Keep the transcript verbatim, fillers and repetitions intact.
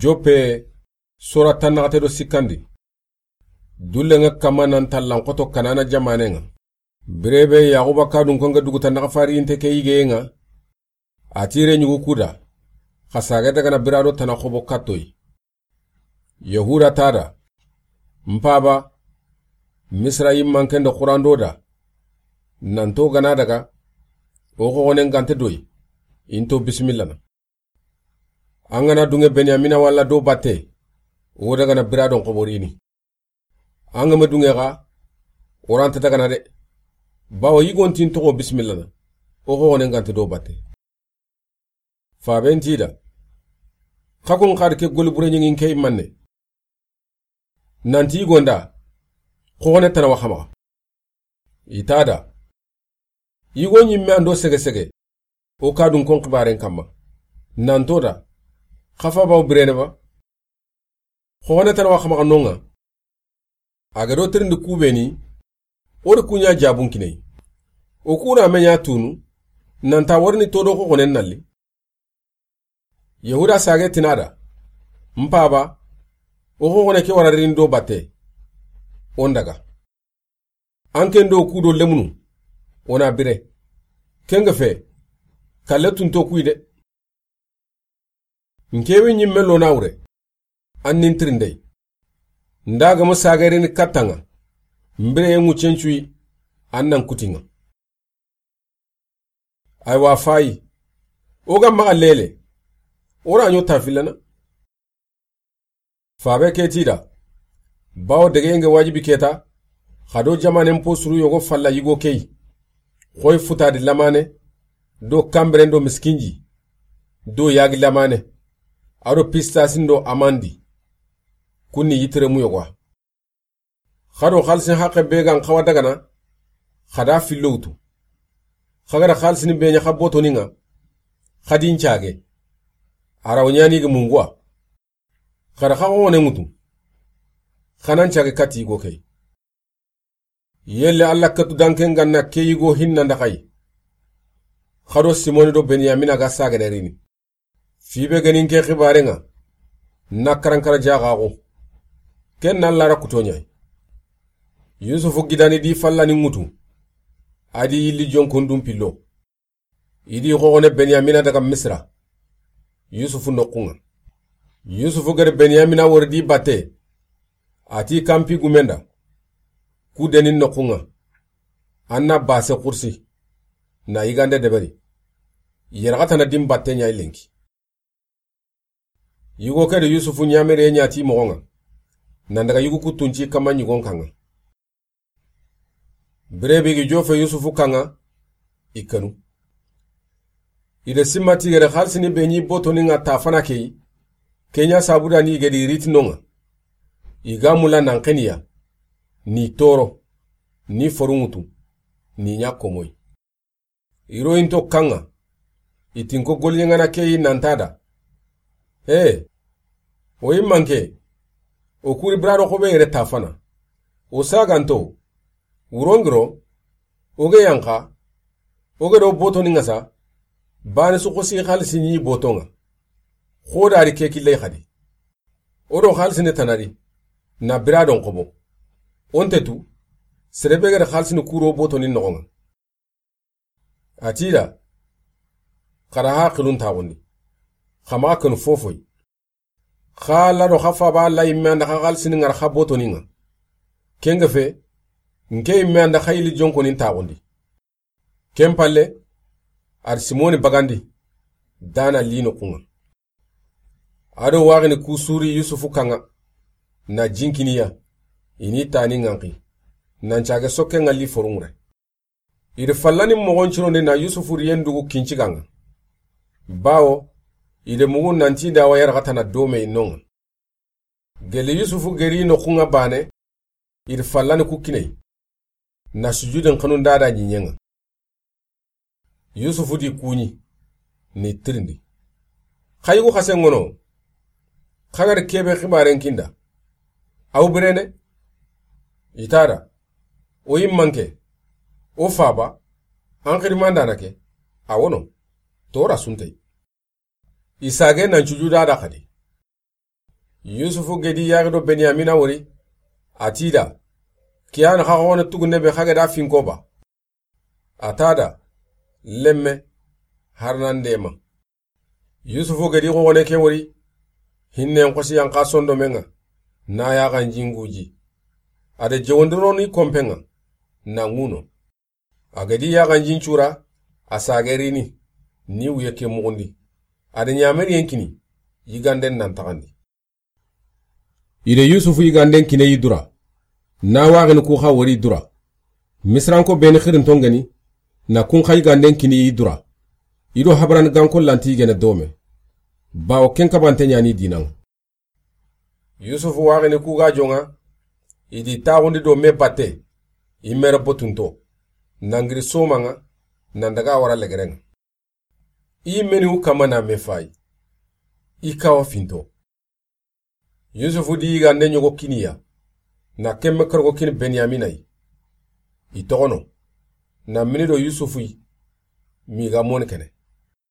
Joppe, sora tannaxate do sikkandi. Dullen ŋa kama nan tallan xoto Kanana jamanen ŋa. Bire be Yaxuba kadun konge duguta naxa farinte ke yigeyen ŋa. A ti ire ɲugu kuda, xa sage daga na bira do tana xobo kattoyi. Yahuda ta da, n paba, Misira yimmanken do xurando da, nanto gana daga, o xoxonen gante doyi, into bisimilla na. An gana dunge Benyamina walla do batte, o daga na bira don xoborini. An ga ma dunge xa, o ranta daga na de. Bawo yigontin toxo bisimilla na, o xoxonen gante do batte. Faben ti da, xa kun xadi ke goli bure ɲingin ke manne. Nanti yigonda, xoxone tana wa xa maxa. I ta da. Yigo ɲimme an do sege sege, o kadun kon xibaren kamma. Nanto da, xa fa bawo birene ba. Xoxone tana wa xa maxa nonga. A ga do tirindi kubeni, o di kuɲa jabun kinai. O kuna me ɲa tunu, nanta warini todo xoxonen nalli. Yahuda sage tina da, n paba, o xoxone ke wara rini do batte, o n daga. An ken do kudo lemunu, o na bire. Ken ga fe, kalle tunto kuyi de. N ke wi ɲimme lo na wure, an nin tirindey. N da ga ma sage rini katta ŋa, n bire ye ŋuccen cuyi, an nan kuti ŋa. Aywa fayi, o ga maxa lele, o ra ɲo tafillana. Fabe ke ti da, bawo dege nge wajibi keta, xa do jamanen po suru yogo falla yigo key, xoy futadi lamane, do kamberen do miskinji, do yagi lamane, a do pistasin do amandi, kunni yitiremu yogo a. Xa do xalisin haqe be gan xawa dagana, xa da fillo wutu. Xa ga da xalisin be ɲa xa botoni ŋa, xa di n cage. A ra wo ɲani gi munguwa. Xa da xa xone ŋutu. Xa nan cage kati yigo key. Yelle Alla katu danken ganna ke yigo hinna nda xay. Xa do Simoni do Benyamina ga sagene rini. Fibe ganin ke xibare ŋa, na karankara jaxaxu. Ken na Alla ra kuto ɲay. Yusufu gidani di fallani ŋutu. A di yilli jonkondun pillo. I di xoxone Benyamina daga Misira. Yusufu noxun ŋa. Yusufu gari Benyamina wori di batte. A ti kampi gumenda. Ku deni noxun ŋa. An na base xursi. Na yigande deberi. Yeraxatana din batte ɲa i lenki. Yigo ke do Yusufu ɲamire ɲa ti moxon ŋa. Nan daga yigu kuttunci kama ɲigon kan ŋa. Bire be gi jofe Yusufu kan ŋa, i kanu. I de simma tigere xalisini be ɲi botoni ŋa ta fana key, ke ɲa sabuda ni i gedi riti no ŋa. I ga mula nan xeniya, ni toro, ni forunŋutu, ni ɲa komoy. I ro into kan ŋa, i tinko golyeŋana keyi nanta da. He, o yimmanke, o kuri birado xobe yere ta fana. O saganto, wurongiro, o ge yanka, o ge do botoni ŋa sa, bani su xosi xalisi ɲi boto ŋa. Xodari ke killey xadi. O do xalisi ne tanari, na biradon xobo. O nte tu, serebe gere xalisi ni kuro botoni noxo ŋa. A ti da, xa da haqilun taxundi. Xa maxa kenu fofoy. Xa Alla do xa faba Alla yimme anda xa xalisini ŋara xa botoni ŋa. Ken ga fe, nke yimme anda xa yili jonkonin taxundi. Ken palle, a da Simoni bagandi, dana li noxun ŋa. A do waxini ku suri Yusufu kan ŋa, na jinkiniya, i ni tani ŋanxi, nan cage sokke ŋa li forunŋure. I da fallani moxon cirondi na Yusufu riyen dugu kincigan ŋa. Bawo, i da mugu nanti da wa yaraxatana dome i no ŋa. Gelle Yusufu geri noxun ŋa bane, i da fallani ku kiney. Na sujudin xanun da da ɲiɲen ŋa. Yusufu di kuɲi, ni tirindi. Xa yugu xasen ŋono, xa ga da kebe xibaren kinda. Aw birene? I ta da, o yimmanke, o faba, an xirimandana ke, a wono, tora suntey. I sage nan cuju da da xadi. Yusufu gedi yaxi do Benyamina wori, a ti i da, ke ya ni xa xoxone tugunne be xa ga da finko ba. A ta da, lemme, har nan dema. Yusufu gedi xoxone ke wori, hinnen xosi yan xa sondomen ŋa, na yaxanjin guji. A da jewondironi kompen ŋa, na ŋuno. A gedi yaxanjin cura, a sagerini, ni wuye ke muxundi. A da ɲameriyen kini, yiganden nan taxandi. I da Yusufu yiganden kine yi dura. Na waxini ku xa wori dura. Misiranko beni xirinton geni, na kun xa yiganden kini yi dura. I do habaran ganko lanti yigene dome. Bawo ken kabante ɲani dinan. Yusufu waxini ku ga jonŋa, i di taxundi do me batte, i mere botunto, nangiri somanŋa, nan daga wara legeren ŋa. I meni u kama na me fayi, i kawa finto. Yusufu di yigande ɲogo kiniya, na kemme kargo kini Benyamina yi. I toxono, na mini do Yusufu yi, mi ga moni kene.